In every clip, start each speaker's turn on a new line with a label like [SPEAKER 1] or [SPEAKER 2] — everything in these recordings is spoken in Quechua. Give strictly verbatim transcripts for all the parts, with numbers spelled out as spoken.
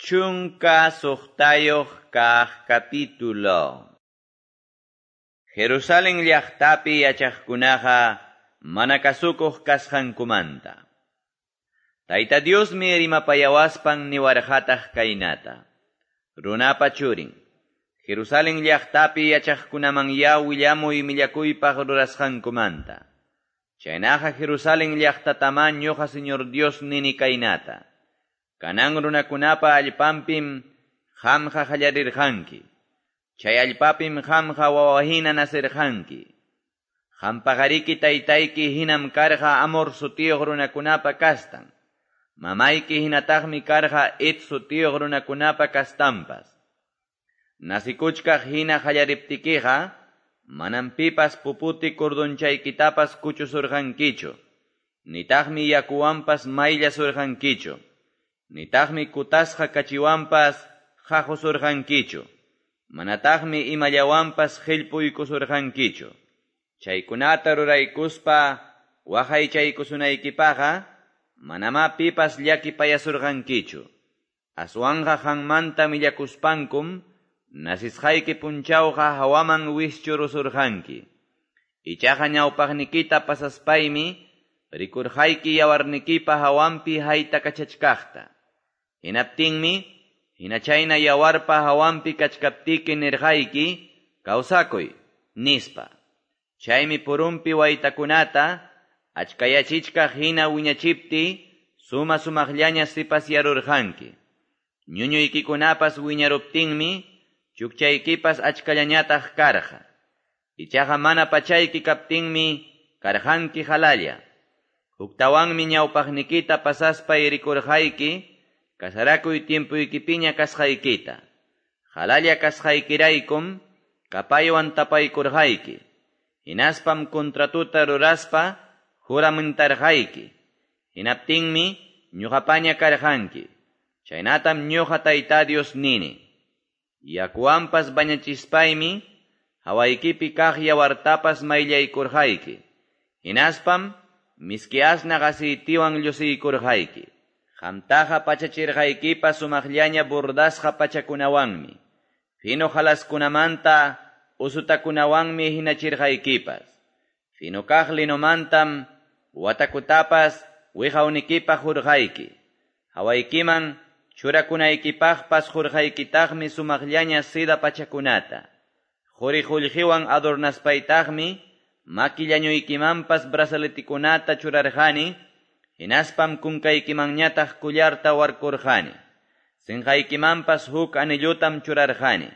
[SPEAKER 1] Chunka suqtayuq kaq capítulo. Jerusalén llaqtapi yachaqkunaqa mana kasukuq kasqankumanta. Tayta Diosmi rimapayawaspan niwarqataq kaynata. Runapa churin, Jerusalén llaqtapi yachaqkunaman ya willamuy millakuypaq rurasqankumanta. Chaynaqa Jerusalén llaqtatama ñuqa Señor Dios nini kaynata. Kanan runakunapa allpanpim qamqa qallarirqanki. Chay allpapim qamqa wawahina nasirqanki. Qampaqariki taytayki hinam karqa Amor sutiyuq runakunapa kastan. Mamayki hinataqmi karqa Het sutiyuq runakunapa kastanpas. Nasikuchkaq hina qallariptikiqa, manam pipas puputi kurdunchaykitapas kuchusurqankichu. Nitaqmi yakuwanpas mayllasurqankichu. Nitaqmi kutasqa kachiwanpas qaqusurqankichu. Manataqmi imallawanpas qillpuykusurqankichu. Chaykunata ruraykuspa waqaychaykusunaykipaqa manamá pipas llakipayasurqankichu. Aswanqa qanmanta millakuspankum nasisqayki punchawqa hawaman wischurusurqanki. Ichaqa ñawpaqnikita pasaspaymi rikurqayki yawarnikipa hawanpi haytakachachkaqta. Hinaptinmi, hinachayna yawarpa hawanpi kachkaptiki nirqayki, kawsakuy, nispa. Chaymi purumpi waytakunata, achkayachichkaq hina wiñachipti, suma sumaqllaña sipasyarurqanki. Ñuñuykikunapas wiñaruptinmi, chukchaykipas achkallañataq karqa. Ichaqa mana pachayki kaptinmi, karqanki halalla. Huktawanmi ñawpaqnikita pasaspay rikurqayki, kasarakuy tiempuykipiña kasqaykita. Halalla kasqaykiraykum, kapaywan tapaykurqayki. Hinaspam contratuta ruraspa, juramentarqayki. Hinaptinmi, ñuqapaña karqanki. Chaynatam ñuqa Tayta Dios nini. Yakuwanpas bañachispaymi, hawaykipi kaq yawartapas mayllaykurqayki. Hinaspam, miski asnaq aceitiwan llusiykurqayki. Qamtaqa pachachirqaykipas sumaqllaña bordasqa pachakunawanmi. Fino halaskunamanta usutakunawanmi hinachirqaykipas. Fino kaq linomantam watakutapas wiqawnikipaq hurqayki. Hawaykiman churakunaykipaqpas hurqaykitaqmi sumaqllaña seda pachakunata. Quri qullqiwan adornaspaytaqmi maki llañuykimanpas brazaletikunata churarqani. Hinaspam kunkaykimanñataq kullarta warkurqani. Sinqaykimanpas huk anillutam churarqani.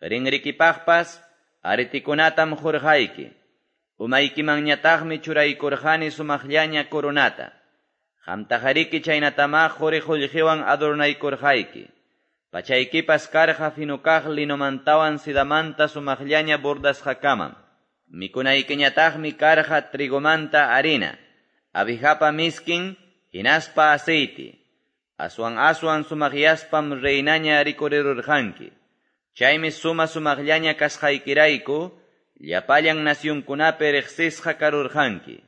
[SPEAKER 1] Rinrikipaqpas aretikunatam hurqayki. Umaykimanñataqmi churaykurqani sumaqllaña coronata. Qamtaqariki chaynatama quri qullqiwan adornaykurqayki. Pachaykipas karqa finukaq linomantawan sidamanta sumaqllaña bordasqakamam. Mikunaykiñataqmi karqa trigomanta harina. Abijapa miskin, hinaspa aceite. Aswan aswan sumaqyaspam reinaña rikurirurqanki. Chaymi suma sumaqllaña kasqaykirayku, llapallan nasyunkunapi riqsisqa karurqanki.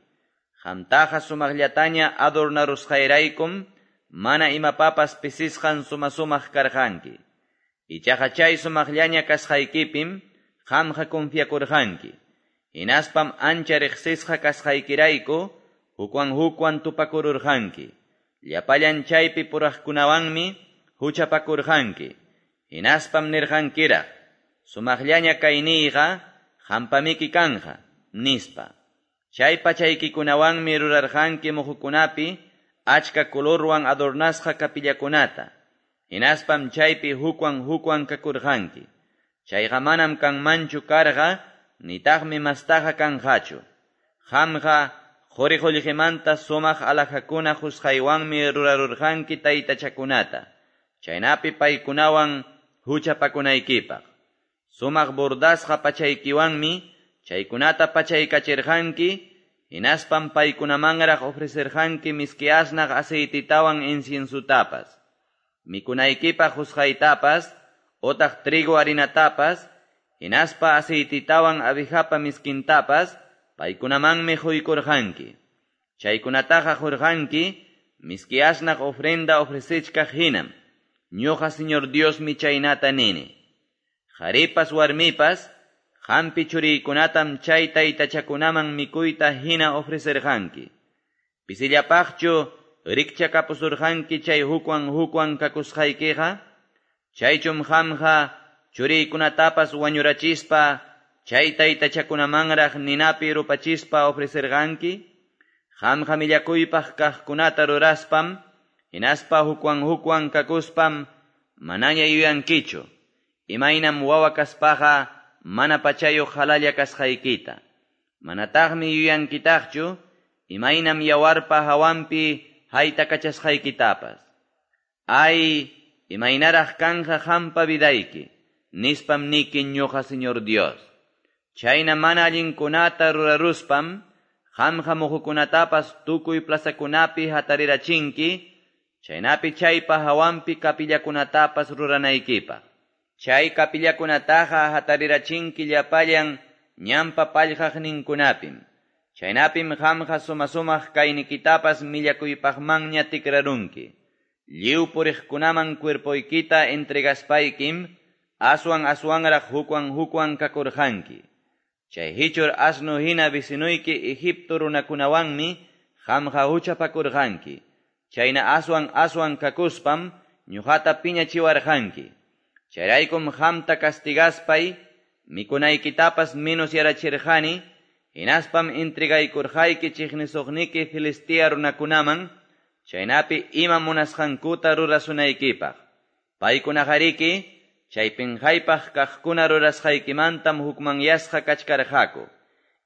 [SPEAKER 1] Qamtaqa sumaqllataña adornarusqayraykum, mana imapapas pisisqan suma sumaq karqanki. Ichaqa chay sumaqllaña kasqaykipim, qamqa confiakurqanki. Hinaspam ancha riqsisqa kasqaykirayku, hukwan hukwan tupakururqanki. Llapallan chaypi puraqkunawanmi huchapakurqanki. Hinaspam nirqankiraq, sumaqllaña kayniyqa hampamiki kanja, nispa. Chay pachaykikunawanmi rurarqanki muhukunapi achka colorwan adornasqa kapillakunata. Hinaspam chaypi hukwan hukwan kakurqanki. Chayqa manam kanmanchu karqa, nitaqmi mastaqa kanqachu. Qamqa quri qullqimanta sumaq alhajakuna qusqaywanmi rurarurqanki taytachakunata. Chaynapi paykunawan huchapakunaykipaq. Sumaq bordasqa pachaykiwanmi chaykunata pachaykachirqanki, hinaspam paykunamanraq ofrecerqanki miski asnaq aceititawan inciensutapas. Mikunaykipaq qusqaytapas, otaq trigo harinatapas, hinaspa aceititawan abijapa miskintapas, paykunamanmi quykurqanki. Chaykunataqa qurqanki, miski asnaq ofrenda ofrecichkaq hinam. Ñuqa Señor Diosmi chaynata nini. Qaripas warmipas qampi churiykunatam chay taytachakunaman mikuyta hina ofrecerqanki. Pisillapaqchu rikchakapusurqanki chay hukwan hukwan kakusqaykiqa? Chaychum qamqa churiykunatapas wañurachispa chay taytachakunamanraq ninapi rupachispa ofrecerqanki? Qamqa millakuypaq kaqkunata ruraspam, hinaspa hukwan hukwan kakuspam manaña yuyankichu, imaynam wawa kaspaqa mana pachayuq halalla kasqaykita. Manataqmi yuyankitaqchu, imaynam yawarpa hawanpi haytakachasqaykitapas. Ay, imaynaraq kanja qampa vidayki, nispam niki ñuqa Señor Dios. Chayna mana allinkunata ruraruspam, qamqa muhukunatapas tukuy plazakunapi hatarirachinki, chaynapi chaypa hawanpi kapillakunatapas ruranaykipaq. Chay kapillakunataqa hatarirachinki llapallan ñanpa pallqaqninkunapim. Chaynapim qamqa suma-sumaq kaynikitapas millakuypaqmanña tikrarunki. Lliw puriqkunaman cuerpoykita entregaspaykim, aswan aswanraq hukwan hukwan kakurqanki. Chay hichur asnu hina vecinuyki Egipto runakunawanmi qamqa huchapakurqanki. Chayna aswan aswan kakuspam ñuqata piñachiwarqanki. Chayraykum qamta castigaspay mikunaykitapas menos yarachirqani, hinaspam entregaykurqayki chiqnisuqniki Filistea runakunaman, chaynapi ima munasqankuta rurasunaykipaq. Paykunaqariki chay pinqaypaq kaqkuna rurasqaykimantam hukmanyasqa kachkarqaku.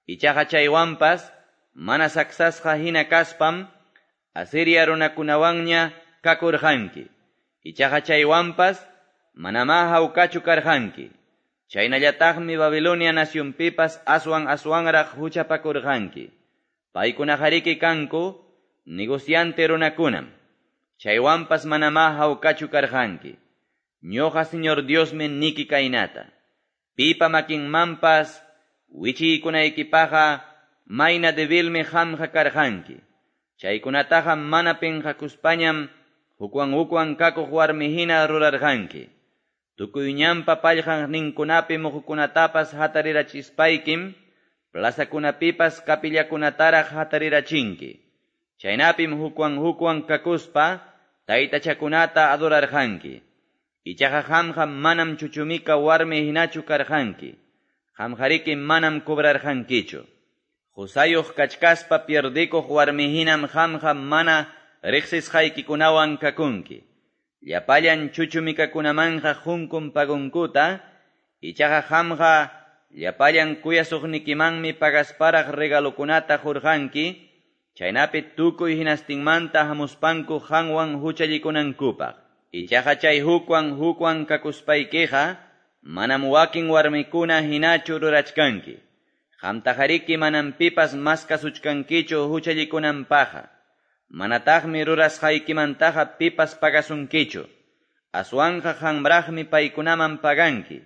[SPEAKER 1] Ichaqa chaywanpas mana saksasqa hina kaspam Asiria runakunawanña kakurqanki. Ichaqa chaywanpas manamá hawkachu karqanki. Chaynallataqmi Babilonia nacionpipas aswan aswanraq huchapakurqanki. Paykunaqariki kanku negociante runakunam. Chaywanpas manamá hawkachu karqanki. Ñuqa Señor Diosmi niki kaynata. Pipa makinmanpas wichiykunaykipaqa mayna debilmi qamqa karqanki. Chaykunataqa mana pinqakuspañam hukwan hukwan kakuq warmi hina rurarqanki. Tukuy ñanpa pallqaqninkunapi muhukunatapas hatarirachispaykim, plazakunapipas kapillakunataraq hatarirachinki. Chaynapim hukwan hukwan kakuspa taytachakunata adorarqanki. Ichaqa qamqa manam chuchumika warmi hinachu karqanki. Qamqariki manam cobrarqankichu. Qusayuq kachkaspa pierdikuq warmi hinam qamqa mana riqsisqaykikunawan kakunki. Llapallan chuchumikakunamanqa hunkun pagunkuta, ichaqa qamqa llapallan kuyasuqnikimanmi pagasparaq regalokunata qurqanki, chaynapi tukuy hinastinmanta hamuspanku qanwan huchallikunankupaq. Ichaqa chay hukwan hukwan kakuspaykiqa manam wakin warmikuna hinachu rurachkanki. Qamtaqariki manam pipas maskasuchkankichu huchallikunanpaqqa. Manataqmi rurasqaykimantaqa pipas pagasunkichu. Aswanqa qamraqmi paykunaman paganki.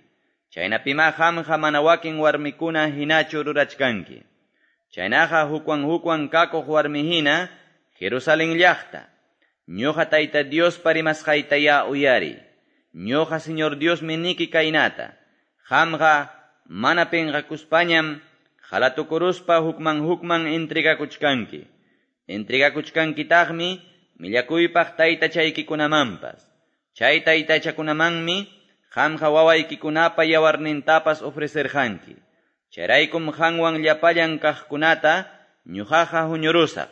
[SPEAKER 1] Chaynapimá qamqa mana wakin warmikuna hinachu rurachkanki. Chaynaqa hukwan hukwan kakuq warmi hina Jerusalén llaqta. Ñuqa Tayta Diospa rimasqaytayá uyariy. Ñuqa Señor Diosmi niki kaynata. Qamqa mana pinqakuspañam halatukuruspa hukman hukman entregakuchkanki. Entregakuchkankitaqmi millakuypaq taytachaykikunamanpas. Chay taytachakunamanmi qamqa wawaykikunapa yawarnintapas ofrecerqanki. Chayraykum qanwan llapallan kaqkunata ñuqaqa huñurusaq.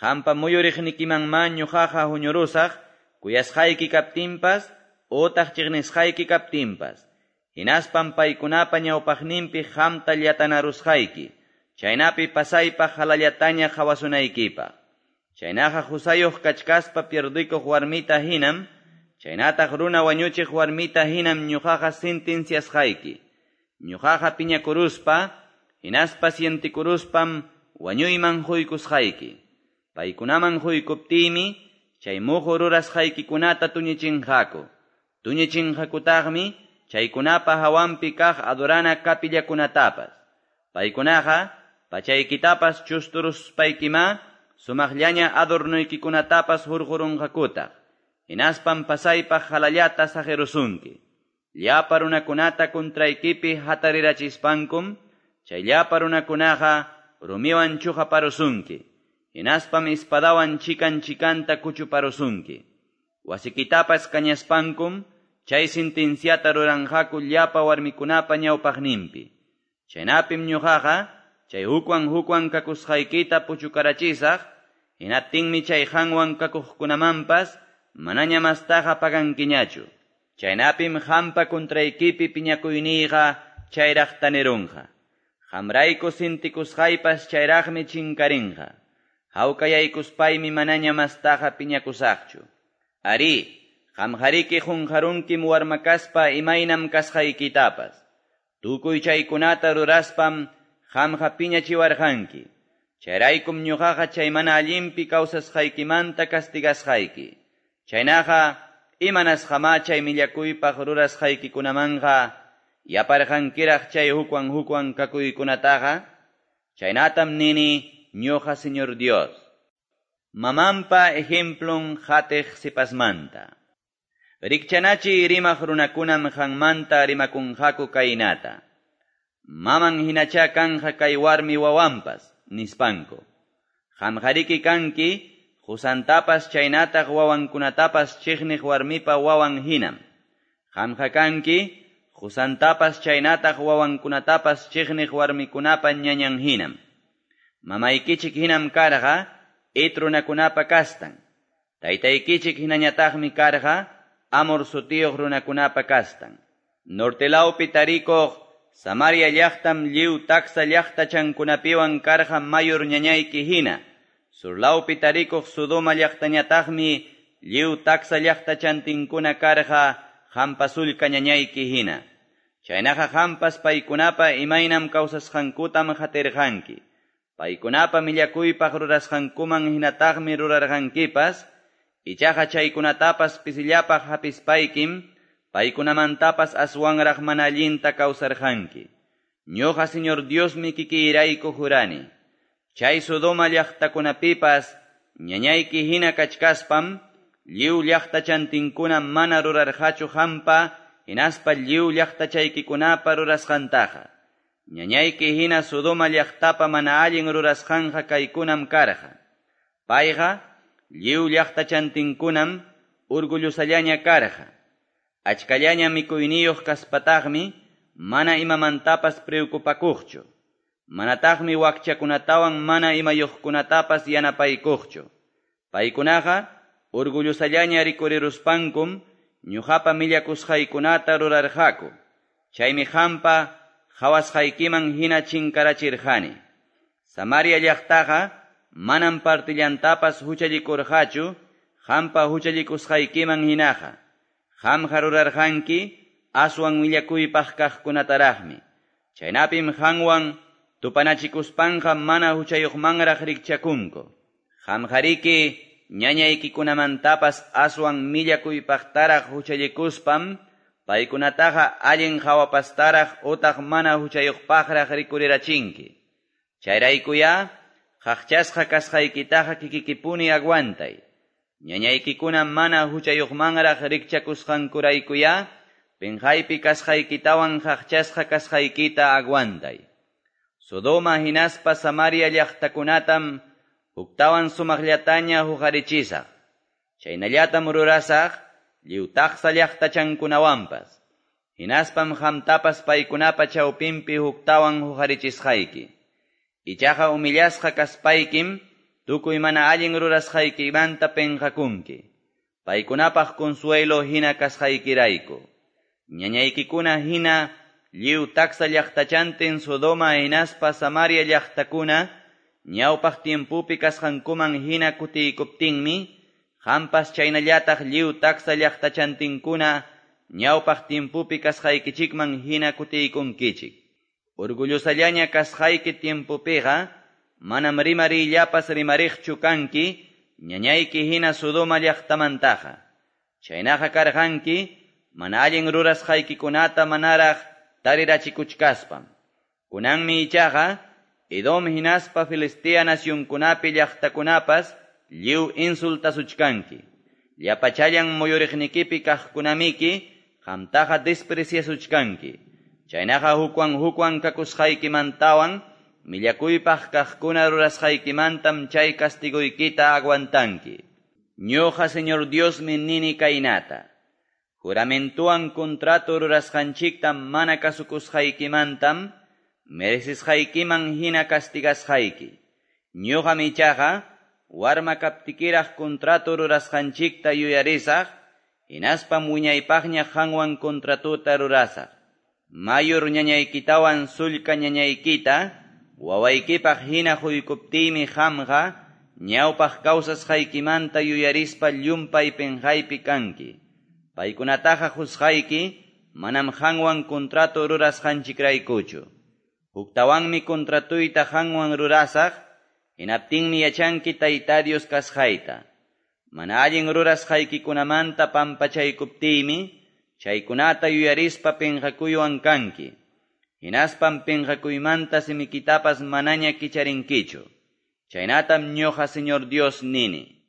[SPEAKER 1] Qampa muyuriqnikimanmá ñuqaqa huñurusaq kuyasqayki kaptinpas utaq chiqnisqayki kaptinpas. Hinaspam paykunapa ñawpaqninpi qamta llatanarusqayki. Chaynapi pasaypaq halallataña qhawasunaykipaq. Chaynaqa qusayuq kachkaspa pierdikuq warmita hinam, chaynataq runa wañuchiq warmita hinam ñuqaqa sentenciasqayki. Ñuqaqa piñakuruspa, hinaspa sientikuruspam wañuyman huykusqayki. Paykunaman huykuptiymi, chay muhu rurasqaykikunata tuñichinqaku. Tuñichinqakutaqmi chaykunapa hawanpi kaq adorana kapillakunatapas. Paykunaqa pachaykitapas chusturuspaykiма sumaqllaña adornuykikunatapas hurqurunqakutaq. hinaspam pasaypaq qalallata saqerusunki. Llapa runakunata contraykipi hatarirachispankum, chay llapa runakunaqa rumiwan chuqaparusunki, hinaspam espadawan chikan chikanta kuchuparusunki. Wasikitapas kañaspankum, chay sentenciata ruranqaku llapa warmikunapa ñawpaqninpi. Chaynapim ñuqaqa, chay hukwan hukwan kakusqaykita puchukarachisaq, hinaptinmi chay qanwan kakuqkunamanpas manaña mastaqa pagankiñachu. Chaynapim qampa contraykipi piñakuyniyqa chayraq tanirunqa. Qamrayku sintikusqaypas chayraqmi chinkarinqa. Hawkayaykuspaymi manaña mastaqa piñakusaqchu. Ari, qamqariki qunqarunkim warmakaspa imaynam kasqaykitapas. Tukuy chaykunata ruraspam qamqa piñachiwarqanki. Chayraykum ñuqaqa chay mana allinpi kawsasqaykimanta castigasqayki. Chaynaqa imanasqamá chay millakuypaq rurasqaykikunamanqa yaparqankiraq chay hukwan hukwan kakuykunataqa. Chaynatam nini ñuqa Señor Dios. Mamampa ejemplun qatiq sipasmanta. Rikchanachi rimaq runakunam qanmanta rimakunqaku kaynata. Maman hinacha kanja kay warmi wawanpas, nispanku. Qamqariki kanki, qusantapas chaynataq wawankunatapas chiqniq warmipa wawan hinam. Qamqa kanki, qusantapas chaynataq wawankunatapas chiqniq warmikunapa ñañan hinam. Mamaykichik hinam karqa, Het runakunapa kastan. Taytaykichik hinañataqmi karqa, Amor sutiyuq runakunapa kastan. Nortelawpi tarikuq Samaria llaqtam lliw taksa llaqtachankunapiwan karqa mayor ñañayki hina. Surlawpi tarikuq Sodoma llaqtañataqmi lliw taksa llaqtachantinkuna karqa qampa sullka ñañayki hina. Chaynaqa qampas paykunapa imaynam kawsasqankutam qatirqanki. Paykunapa millakuypaq rurasqankuman hinataqmi rurarqankipas, ichaqa chaykunatapas pisillapaq hapispaykim, paykunamantapas aswanraq mana allinta kawsarqanki. Ñuqa Señor Diosmi kikiyrayku jurani. Chay Sodoma llaqtakunapipas ñañayki hina kachkaspam, lliw llaqtachantinkuna mana rurarqachu qampa, hinaspa lliw llaqtachaykikunapa rurasqantaqa. Ñañayki hina Sodoma llaqtapa mana allin rurasqanqa kaykunam karqa. Payqa lliw llaqtachantinkunam orgullosallaña karqa. Achkallaña mikuyniyuq kaspataqmi mana imamantapas preocupakuqchu. Manataqmi wakchakunatawan mana imayuqkunatapas yanapaykuqchu. Paykunaqa orgullosallaña rikuriruspankum ñuqapa millakusqaykunata rurarqaku. Chaymi qampa qhawasqaykiman hina chinkarachirqani. Samaria llaqtaqa manam partillantapas huchallikurqachu qampa huchallikusqaykiman hinaqa. Qamqa rurarqanki aswan millakuypaq kaqkunataraqmi. Chaynapim qanwan tupanachikuspanqa mana huchayuqmanraq rikchakunku. Qamqariki ñañaykikunamantapas aswan millakuypaqtaraq huchallikuspam paykunataqa allin qhawapastaraq utaq mana huchayuqpaqraq rikurirachinki. Chayraykuyá qaqchasqa kasqaykitaqa kikikipuni aguantay. Ñañaykikuna mana huchayuqmanraq rikchakusqankuraykuyá pinqaypi kasqaykitawan qaqchasqa kasqaykita aguantay. Sodoma hinaspa Samaria llaqtakunatam huktawan sumaqllataña huqarichisaq. Chaynallatam rurasaq lliw taksa llaqtachankunawanpas. Hinaspam qamtapas paykunapa chawpinpi huktawan huqarichisqayki. Ichaqa humillasqa kaspaykim tukuy mana allin rurasqaykimanta penqakunki. Paykunapaq consuelo hina kasqaykirayku. Ñañaykikuna hina lliw taksa llaqtachantin Sodoma hinaspa Samaria llaqtakuna ñawpaq tiempopi kasqankuman hina kutiykuptinmi, qampas chaynallataq lliw taksa llaqtachantinkuna ñawpaq tiempopi kasqaykichikman hina kutiykunkichik. Orgullosallaña kasqayki tiempopiqa manam rimariyllapas rimariqchu kanki ñañayki hina Sodoma llaqtamantaqa. Chaynaqa karqanki mana allin rurasqaykikunata manaraq tarirachikuchkaspam. Kunanmi ichaqa Edom hinaspa Filistea nacionkunapi llaqtakunapas lliw insultasuchkanki. Llapachallan muyuriqnikipi kaqkunamiki qamtaqa despreciasuchkanki. Chaynaqa hukwan-hukwan kakusqaykimantawan millakuypaq kaqkuna rurasqaykimantam chay castigoykita aguantanki. Ñuqa Señor Diosmi nini kaynata. Juramentuwan contrato rurasqanchikta mana kasukusqaykimantam merecisqaykiman hina castigasqayki. Ñuqam ichaqa warma kaptikiraq contrato rurasqanchikta yuyarisaq, hinaspam wiñaypaqña qanwan contratota rurasaq. Mayor ñañaykitawan sullka ñañaykita wawaykipaq hina quykuptiymi qamqa ñawpaq kawsasqaykimanta yuyarispa llumpay penqaypi kanki. Paykunataqa qusqayki manam qanwan contrato rurasqanchikraykuchu. Huktawanmi contratuyta qanwan rurasaq, hinaptinmi yachanki Tayta Dios kasqayta. Mana allin rurasqaykikunamanta pampachaykuptiymi, chaykunata yuyarispa penqakuywan kanki. Hinaspam penqakuymanta simikitapas manaña kicharinkichu. Chaynatam ñuqa Señor Dios nini.